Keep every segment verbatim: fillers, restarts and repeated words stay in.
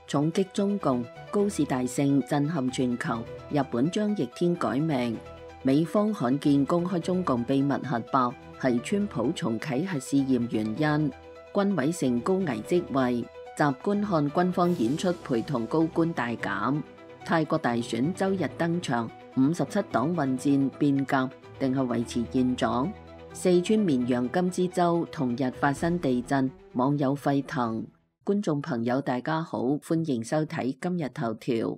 重擊中共，高市大勝震撼全球，日本將逆天改命。美方罕見公開中共秘密核爆，係川普重啟核試驗原因。軍委成高危職位，集觀看軍方演出，陪同高官大減。泰國大選周日登場，五十七黨混戰變革定係維持現狀？四川綿陽金枝洲同日發生地震，網友沸騰。觀眾朋友大家好，歡迎收睇今日頭條。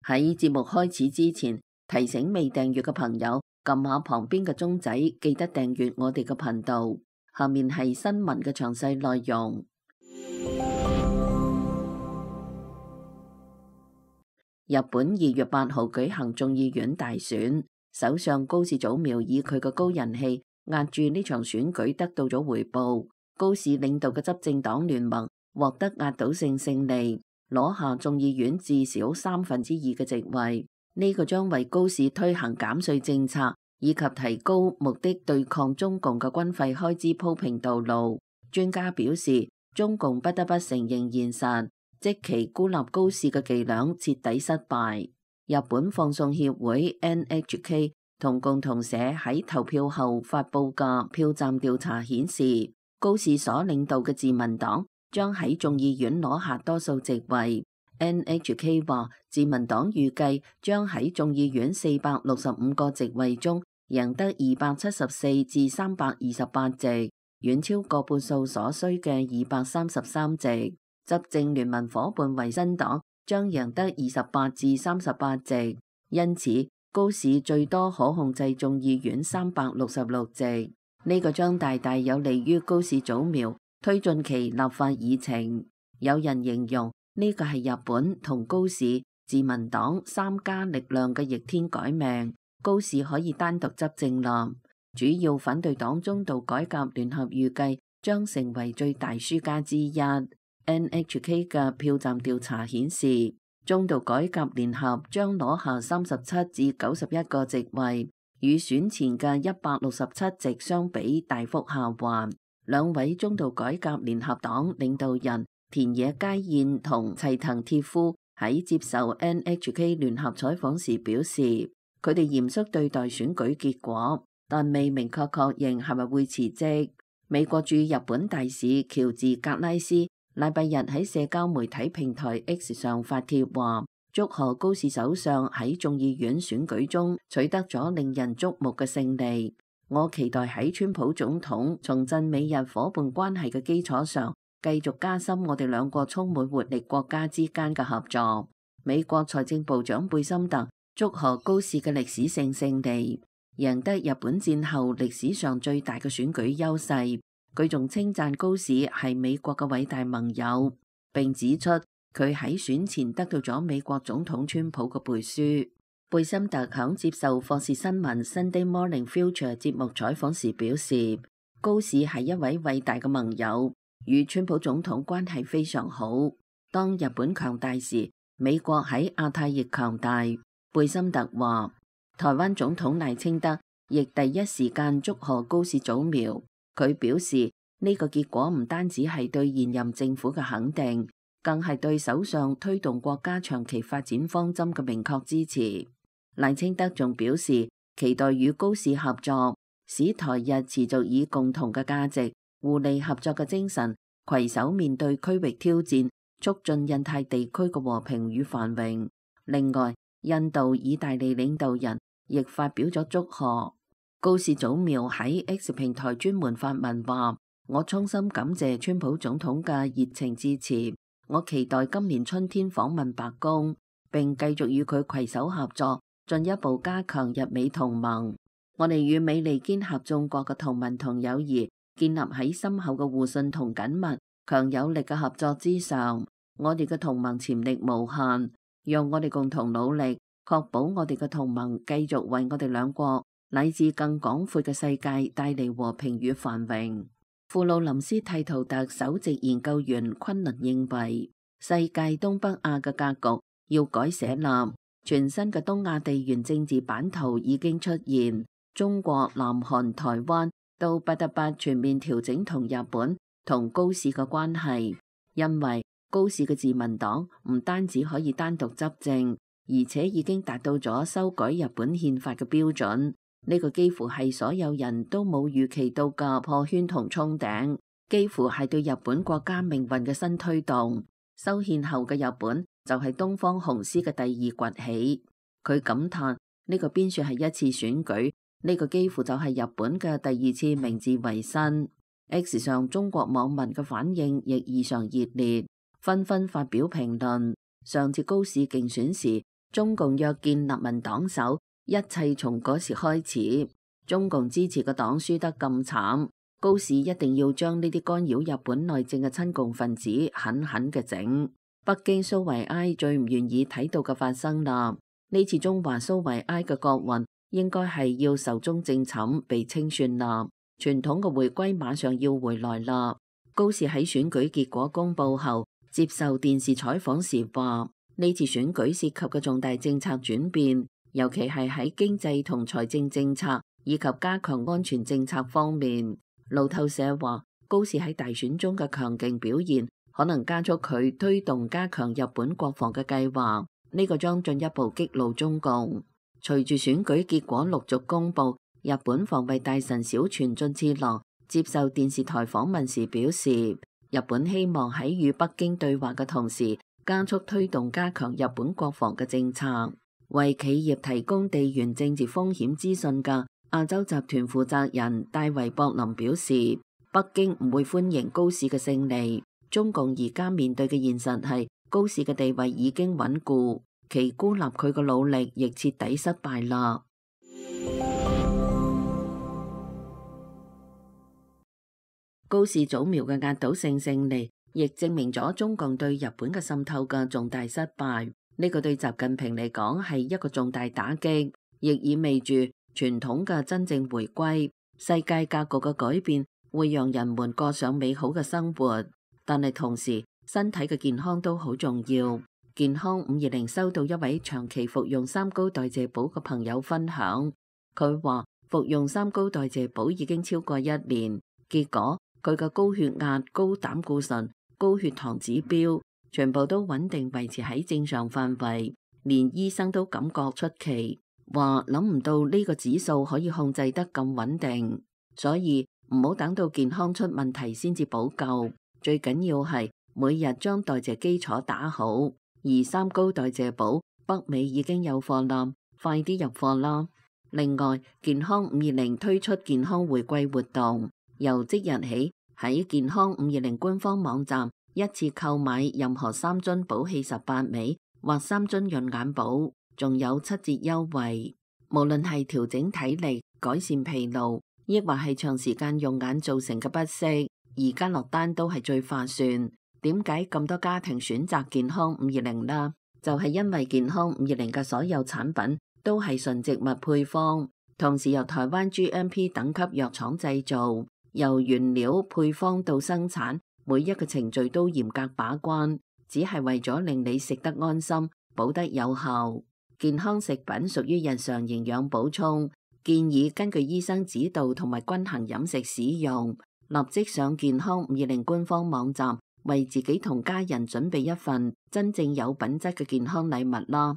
喺節目開始之前，提醒未訂閱嘅朋友撳下旁邊嘅鐘仔，記得訂閱我哋嘅頻道。下面係新聞嘅詳細內容。日本二月八號舉行眾議院大選，首相高市早苗以佢嘅高人氣壓住呢場選舉，得到咗回報。高市領導嘅執政黨聯盟獲得壓倒性勝利，攞下眾議院至少三分之二嘅席位。呢、這個將為高市推行減稅政策以及提高目的對抗中共嘅軍費開支鋪平道路。專家表示，中共不得不承認現實，即其孤立高市嘅伎倆徹底失敗。日本放送協會 N H K 同共同社喺投票後發佈嘅票站調查顯示，高市所領導嘅自民黨將喺眾議院攞下多數席位。N H K 話，自民黨預計將喺眾議院四百六十五個席位中贏得二百七十四至三百二十八席，遠超過半數所需嘅二百三十三席。執政聯盟夥伴維新黨將贏得二十八至三十八席，因此高市最多可控制眾議院三百六十六席。呢、這個將大大有利於高市早苗推進其立法議程。有人形容呢、這個係日本同高市、自民黨三家力量嘅逆天改命。高市可以單獨執政啦。主要反對黨中道改革聯合預計將成為最大輸家之一。N H K 嘅票站調查顯示，中道改革聯合將攞下三十七至九十一個席位，與選前嘅一百六十七席相比大幅下滑。兩位中道改革聯合黨領導人田野佳彥同齊藤鐵夫喺接受 N H K 聯合採訪時表示，佢哋嚴肅對待選舉結果，但未明確確認係咪會辭職。美國駐日本大使喬治格拉斯禮拜日喺社交媒體平台 X 上發帖話，祝賀高市首相喺眾議院選舉中取得咗令人矚目嘅勝利。我期待喺川普總統重振美日夥伴關係嘅基礎上，繼續加深我哋兩個充滿活力國家之間嘅合作。美國財政部長貝森特祝賀高市嘅歷史性勝利，贏得日本戰後歷史上最大嘅選舉優勢。佢仲稱讚高市係美國嘅偉大盟友，並指出佢喺選前得到咗美國總統川普嘅背書。貝森特響接受霍士新聞 Sunday Morning Future 節目採訪時表示，高市係一位偉大嘅盟友，與川普總統關係非常好。當日本強大時，美國喺亞太亦強大。貝森特話，台灣總統賴清德亦第一時間祝賀高市早苗。佢表示，呢個結果唔單止係對現任政府嘅肯定，更係對首相推動國家長期發展方針嘅明確支持。賴清德仲表示，期待與高市合作，使台日持續以共同嘅價值、互利合作嘅精神，攜手面對區域挑戰，促進印太地區嘅和平與繁榮。另外，印度、意大利領導人亦發表咗祝賀。高市早苗喺 X 平台專門發文話，我衷心感謝川普總統嘅熱情支持，我期待今年春天訪問白宮，並繼續與佢攜手合作，進一步加強日美同盟。我哋與美利堅合眾國嘅同盟同友誼建立喺深厚嘅互信同緊密、強有力嘅合作之上。我哋嘅同盟潛力無限，讓我哋共同努力，確保我哋嘅同盟繼續為我哋兩國乃至更廣闊嘅世界帶嚟和平與繁榮。庫魯林斯蒂圖特首席研究員昆崙認為，世界東北亞嘅格局要改寫啦，全新嘅東亞地緣政治版圖已經出現，中國、南韓、台灣都不得不全面調整同日本同高市嘅關係，因為高市嘅自民黨唔單止可以單獨執政，而且已經達到咗修改日本憲法嘅標準。呢個幾乎係所有人都冇預期到嘅破圈同衝頂，幾乎係對日本國家命運嘅新推動。修憲後嘅日本就係東方雄獅嘅第二崛起。佢感嘆呢個邊算係一次選舉，呢個幾乎就係日本嘅第二次明治維新。X 上中國網民嘅反應亦異常熱烈，紛紛發表評論。上次高市競選時，中共約見立民黨首，一切從嗰時開始。中共支持嘅黨輸得咁慘，高市一定要將呢啲干擾日本內政嘅親共分子狠狠嘅整。北京蘇維埃最唔願意睇到嘅發生啦，呢次中華蘇維埃嘅國運應該係要壽終正寢被清算啦，傳統嘅回歸馬上要回來啦。高市喺選舉結果公佈後接受電視採訪時話，呢次選舉涉及嘅重大政策轉變，尤其係喺經濟同財政政策以及加強安全政策方面。路透社話，高市喺大選中嘅強勁表現，可能加速佢推動加強日本國防嘅計劃，呢個將進一步激怒中共。隨住選舉結果陸續公佈，日本防衛大臣小泉進次郎接受電視台訪問時表示，日本希望喺與北京對話嘅同時，加速推動加強日本國防嘅政策。為企業提供地緣政治風險資訊嘅亞洲集團負責人戴維博林表示，北京唔會歡迎高市嘅勝利。中共而家面對嘅現實係高市嘅地位已經穩固，其孤立佢嘅努力亦徹底失敗啦。高市早苗嘅壓倒性勝利，亦證明咗中共對日本嘅滲透嘅重大失敗。呢個對習近平嚟講係一個重大打擊，亦意味住傳統嘅真正回歸。世界格局嘅改變會讓人們過上美好嘅生活，但係同時身體嘅健康都好重要。健康五二零收到一位長期服用三高代謝寶嘅朋友分享，佢話服用三高代謝寶已經超過一年，結果佢嘅高血壓、高膽固醇、高血糖指標全部都穩定維持喺正常範圍，連醫生都感覺出奇，話諗唔到呢個指數可以控制得咁穩定，所以唔好等到健康出問題先至補救，最緊要係每日將代謝基礎打好。而三高代謝寶北美已經有貨啦，快啲入貨啦！另外，健康五二零推出健康回歸活動，由即日起喺健康五二零官方網站一次購買任何三樽寶氣十八味或三樽潤眼寶，仲有七折優惠。無論係調整體力、改善疲勞，抑或係長時間用眼造成嘅不適，而家落單都係最划算。點解咁多家庭選擇健康五二零啦？就係因為健康五二零嘅所有產品都係純植物配方，同時由台灣 G M P 等級藥廠製造，由原料配方到生產，每一個程序都嚴格把關，只係為咗令你食得安心，補得有效。健康食品屬於日常營養補充，建議根據醫生指導同埋均衡飲食使用。立即上健康五二零官方網站，為自己同家人準備一份真正有品質嘅健康禮物啦！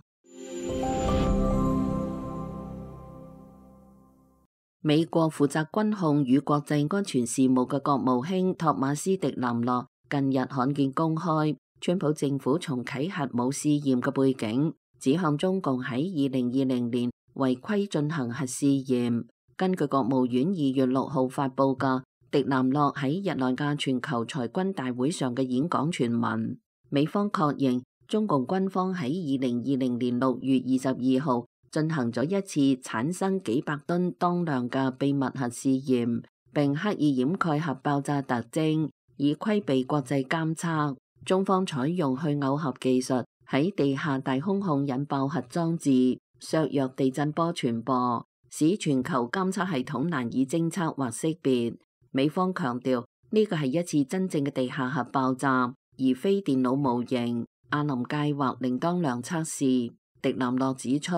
美國負責軍控與國際安全事務嘅國務卿托馬斯·迪南洛近日罕見公開川普政府重啟核武試驗嘅背景，指向中共喺二零二零年違規進行核試驗。根據國務院二月六號發佈嘅迪南洛喺日內瓦全球裁軍大會上嘅演講全文，美方確認中共軍方喺二零二零年六月二十二號進行咗一次產生幾百噸當量嘅秘密核試驗，並刻意掩蓋核爆炸特徵，以規避國際監測。中方採用去耦合技術，喺地下大空孔引爆核裝置，削弱地震波傳播，使全球監測系統難以偵測或識別。美方強調呢個係一次真正嘅地下核爆炸，而非電腦模型、阿林計劃另當量測試。迪南洛指出，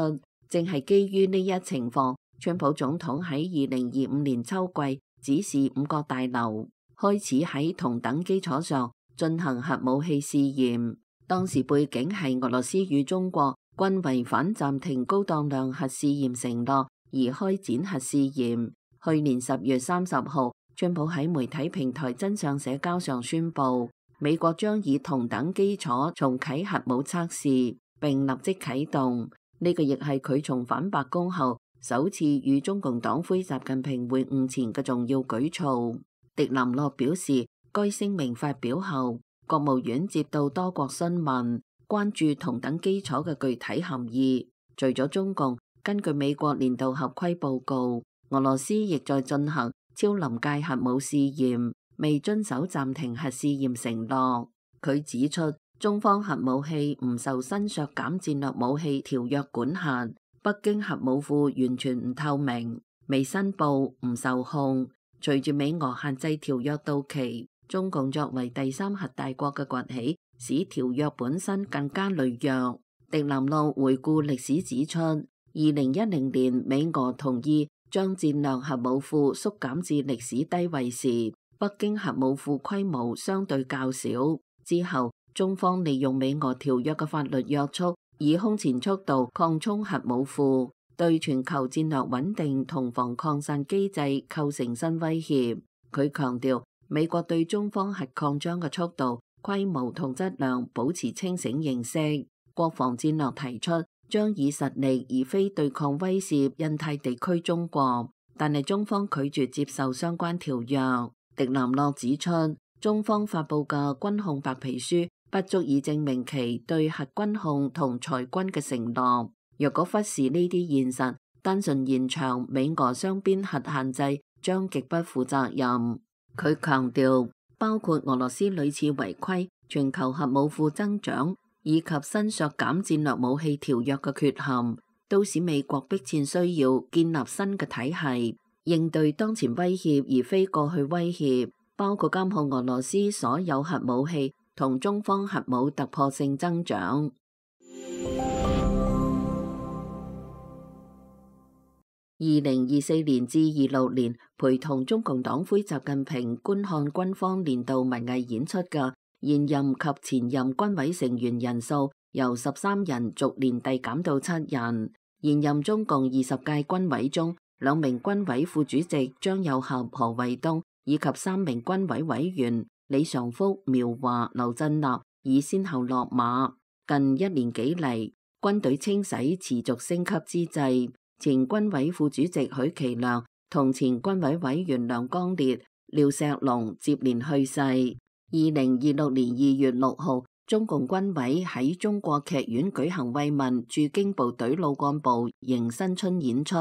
正係基於呢一情況，川普總統喺二零二五年秋季指示五角大樓開始喺同等基礎上進行核武器試驗。當時背景係俄羅斯與中國均違反暫停高當量核試驗承諾而開展核試驗。去年十月三十號，川普喺媒體平台真相社交上宣布，美國將以同等基礎重啟核武測試，並立即啟動。呢個亦係佢重返白宮後首次與中共黨魁習近平會晤前嘅重要舉措。迪南諾表示，該聲明發表後，國務院接到多國詢問，關注同等基礎嘅具體含義。除咗中共，根據美國年度合規報告，俄羅斯亦在進行超臨界核武試驗，未遵守暫停核試驗承諾。佢指出，中方核武器唔受新削減戰略武器條約管轄，北京核武庫完全唔透明，未申報，唔受控。隨住美俄限制條約到期，中共作為第三核大國嘅崛起，使條約本身更加羸弱。迪南諾回顧歷史指出，二零一零年美俄同意將戰略核武庫縮減至歷史低位時，北京核武庫規模相對較少。之後，中方利用美俄條約嘅法律約束，以空前速度擴充核武庫，對全球戰略穩定同防擴散機制構成新威脅。佢強調，美國對中方核擴張嘅速度、規模同質量保持清醒認識。國防戰略提出將以實力而非對抗威懾印太地區中國，但係中方拒絕接受相關條約。迪南諾指出，中方發佈嘅軍控白皮書不足以證明其對核軍控同裁軍嘅承諾。若果忽視呢啲現實，單純延長美俄雙邊核限制，將極不負責任。佢強調，包括俄羅斯屢次違規、全球核武庫增長以及新削減戰略武器條約嘅缺陷，都使美國迫切需要建立新嘅體系，應對當前威脅而非過去威脅，包括監控俄羅斯所有核武器同中方核武突破性增長。二零二四年至二六年，陪同中共黨魁習近平觀看軍方年度文藝演出嘅現任及前任軍委成員人數由十三人逐年遞減到七人。現任中共二十屆軍委中，兩名軍委副主席張又俠、何衛東以及三名軍委委員李尚福、苗華、劉振立已先後落馬。近一年幾嚟，軍隊清洗持續升級之際，前軍委副主席許其亮同前軍委委員梁光烈、廖錫龍接連去世。二零二六年二月六號，中共軍委喺中國劇院舉行慰問駐京部隊老幹部迎新春演出，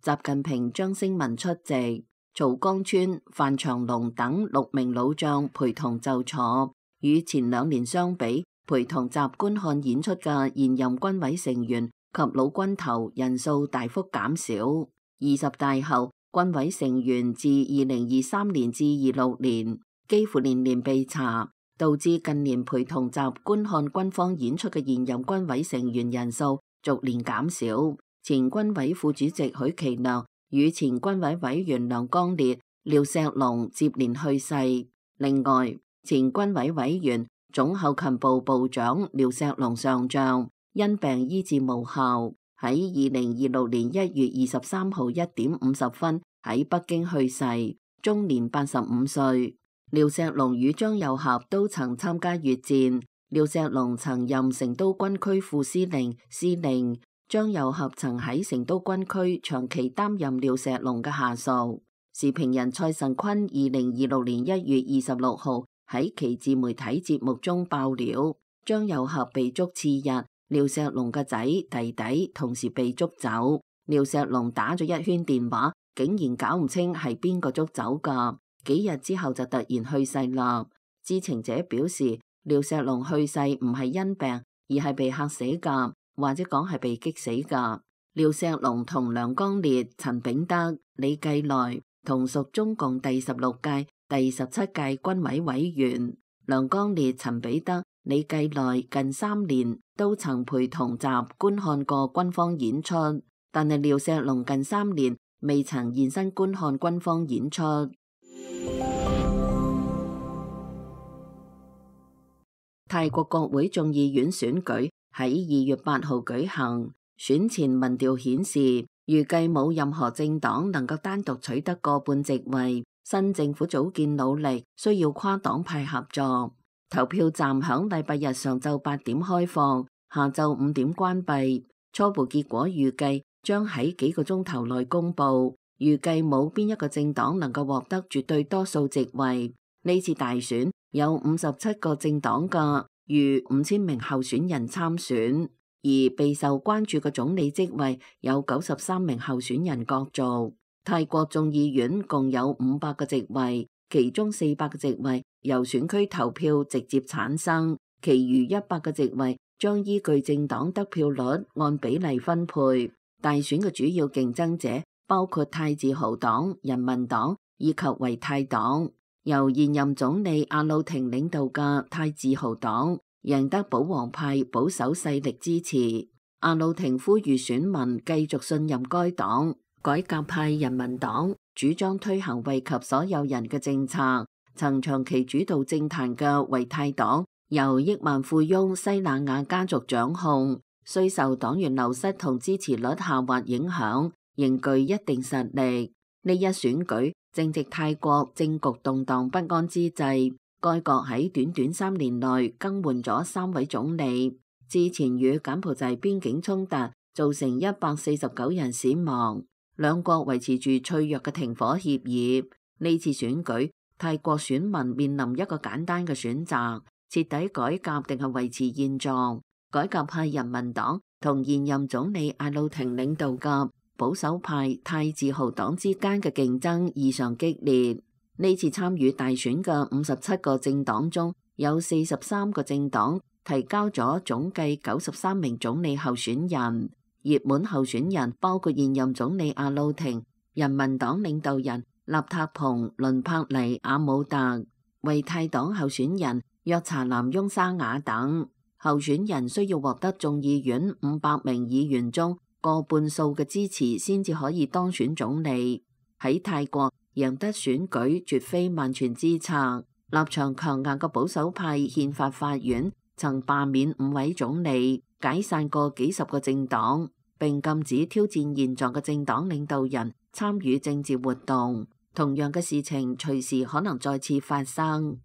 習近平、張聲文出席，曹江川、范長龍等六名老將陪同就座。與前兩年相比，陪同習觀看演出嘅現任軍委成員及老軍頭人數大幅減少。二十大後，軍委成員自二零二三年至二六年幾乎年年被查，導致近年陪同習觀看軍方演出嘅現任軍委成員人數逐年減少。前軍委副主席許其亮與前軍委委員梁光烈、廖錫龍接連去世。另外，前軍委委員總後勤部部長廖錫龍上將因病醫治無效，喺二零二六年一月二十三號一點五十分喺北京去世，終年八十五歲。廖錫龍與張又俠都曾參加越戰，廖錫龍曾任成都軍區副司令、司令，張又俠曾喺成都軍區長期擔任廖錫龍嘅下屬。時評人蔡慎坤二零二六年一月二十六號喺其自媒體節目中爆料，張又俠被捉次日，廖錫龍嘅仔弟弟同時被捉走，廖錫龍打咗一圈電話，竟然搞唔清係邊個捉走噶。幾日之後就突然去世啦。知情者表示，廖錫龍去世唔係因病，而係被嚇死噶，或者講係被激死噶。廖錫龍同梁光烈、陳炳德、李繼來同屬中共第十六屆、第十七屆軍委委員。梁光烈、陳炳德、李繼來近三年都曾陪同習觀看過軍方演出，但係廖錫龍近三年未曾現身觀看軍方演出。泰國國會眾議院選舉喺二月八號舉行，選前民調顯示，預計冇任何政黨能夠單獨取得過半席位，新政府組建努力需要跨黨派合作。投票站響禮拜日上晝八點開放，下晝五點關閉。初步結果預計將喺幾個鐘頭內公佈。預計冇邊一個政黨能夠獲得絕對多數席位。呢次大選有五十七個政黨嘅逾五千名候選人參選，而備受關注嘅總理職位有九十三名候選人角逐。泰國眾議院共有五百個席位，其中四百個席位由選區投票直接產生，其餘一百個席位將依據政黨得票率按比例分配。大選嘅主要競爭者包括泰自豪黨、人民黨以及維泰黨。由現任總理阿魯廷領導嘅泰自豪黨贏得保皇派保守勢力支持。阿魯廷呼籲選民繼續信任該黨。改革派人民黨主張推行惠及所有人嘅政策。曾長期主導政壇嘅維泰黨由億萬富翁西那亞家族掌控，雖受黨員流失同支持率下滑影響，仍具一定實力。呢一選舉正值泰國政局動盪不安之際，該國喺短短三年內更換咗三位總理。之前與柬埔寨邊境衝突造成一百四十九人死亡，兩國維持住脆弱嘅停火協議。呢次選舉，泰國選民面臨一個簡單嘅選擇：徹底改革定係維持現狀。改革派人民黨同現任總理阿魯廷領導嘅保守派泰自豪黨之間嘅競爭異常激烈。呢次參與大選嘅五十七個政黨中，有四十三個政黨提交咗總計九十三名總理候選人。熱門候選人包括現任總理阿魯廷、人民黨領導人納塔蓬、倫柏尼、阿姆特、維泰黨候選人約查南翁沙雅等。候選人需要獲得眾議院五百名議員中過半數嘅支持，先至可以當選總理。喺泰國，贏得選舉絕非萬全之策。立場強硬嘅保守派憲法法院曾罷免五位總理，解散過幾十個政黨，並禁止挑戰現狀嘅政黨領導人參與政治活動。同樣嘅事情隨時可能再次發生。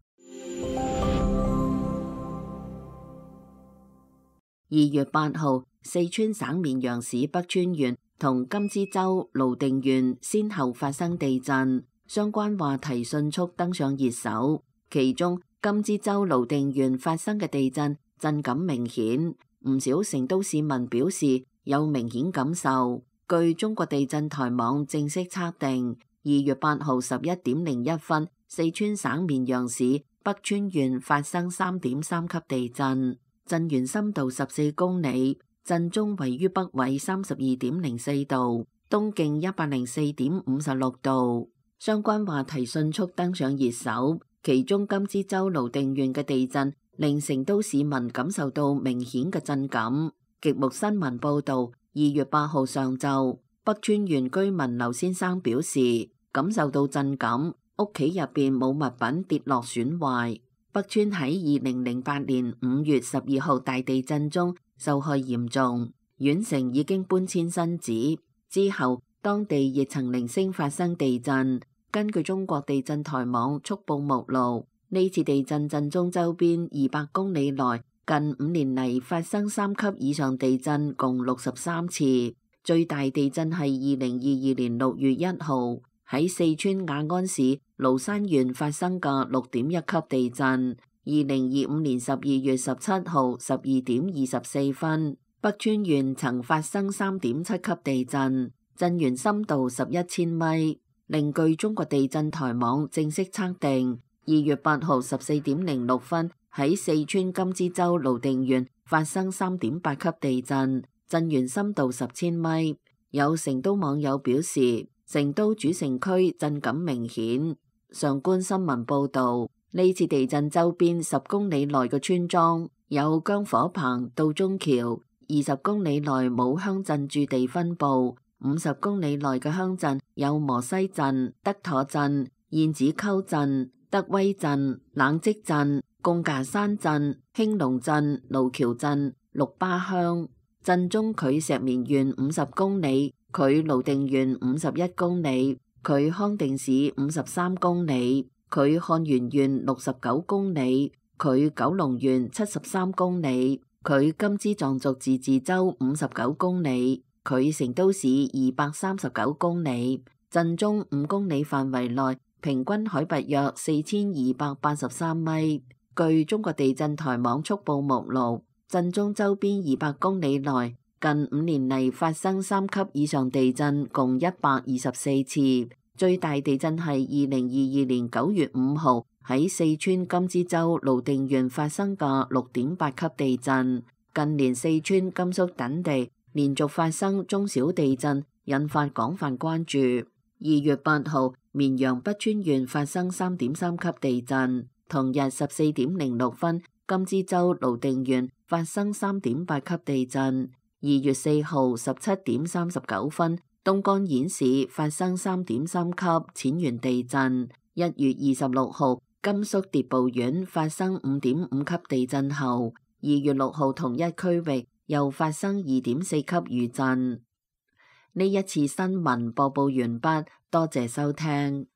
二月八號，四川省綿陽市北川縣同甘孜州瀘定縣先後發生地震，相關話題迅速登上熱搜。其中，甘孜州瀘定縣發生嘅地震震感明顯，唔少成都市民表示有明顯感受。據中國地震台網正式測定，二月八號十一點零一分，四川省綿陽市北川縣發生三點三級地震。震源深度十四公里，震中位於北緯三十二點零四度，東經一百零四點五十六度。相關話題迅速登上熱搜，其中甘孜州瀘定縣嘅地震令成都市民感受到明顯嘅震感。極目新聞報道，二月八號上晝，北川縣居民劉先生表示感受到震感，屋企入邊冇物品跌落損壞。北川喺二零零八年五月十二號大地震中受害嚴重，縣城已經搬遷新址。之後，當地亦曾零星發生地震。根據中國地震台網速報目錄，呢次地震震中周邊二百公里內近五年嚟發生三級以上地震共六十三次。最大地震係二零二二年六月一號喺四川雅安市蘆山縣發生嘅六點一級地震。二零二五年十二月十七號十二點二十四分，北川縣曾發生三點七級地震，震源深度十一千米。另據中國地震台網正式測定，二月八號十四點零六分喺四川甘孜州瀘定縣發生三點八級地震，震源深度十千米。有成都網友表示，成都主城區震感明顯。上官新聞報道，呢次地震周邊十公里內嘅村莊有姜火棚、道中橋，二十公里內冇鄉鎮駐地分佈。五十公里內嘅鄉鎮有磨西鎮、德妥鎮、燕子溝鎮、德威鎮、冷積鎮、貢架山鎮、興隆鎮、路橋鎮、六巴鄉。鎮中距石棉縣五十公里，距瀘定縣五十一公里，距康定市五十三公里，距漢源縣六十九公里，距九龍縣七十三公里，距甘孜藏族自治州五十九公里，距成都市二百三十九公里。鎮中五公里範圍內平均海拔約四千二百八十三米。據中國地震台網速報目錄，鎮中周邊二百公里內近五年嚟發生三級以上地震共一百二十四次，最大地震係二零二二年九月五號喺四川甘孜州瀘定縣發生嘅六點八級地震。近年四川、甘肅等地連續發生中小地震，引發廣泛關注。二月八號，綿陽北川縣發生三點三級地震，同日十四點零六分，甘孜州瀘定縣發生三點八級地震。二月四號十七點三十九分，東干縣市發生三點三級淺源地震。一月二十六號，甘肅諜報縣發生五點五級地震後，二月六號同一區域又發生二點四級餘震。呢一次新聞播報完畢，多謝收聽。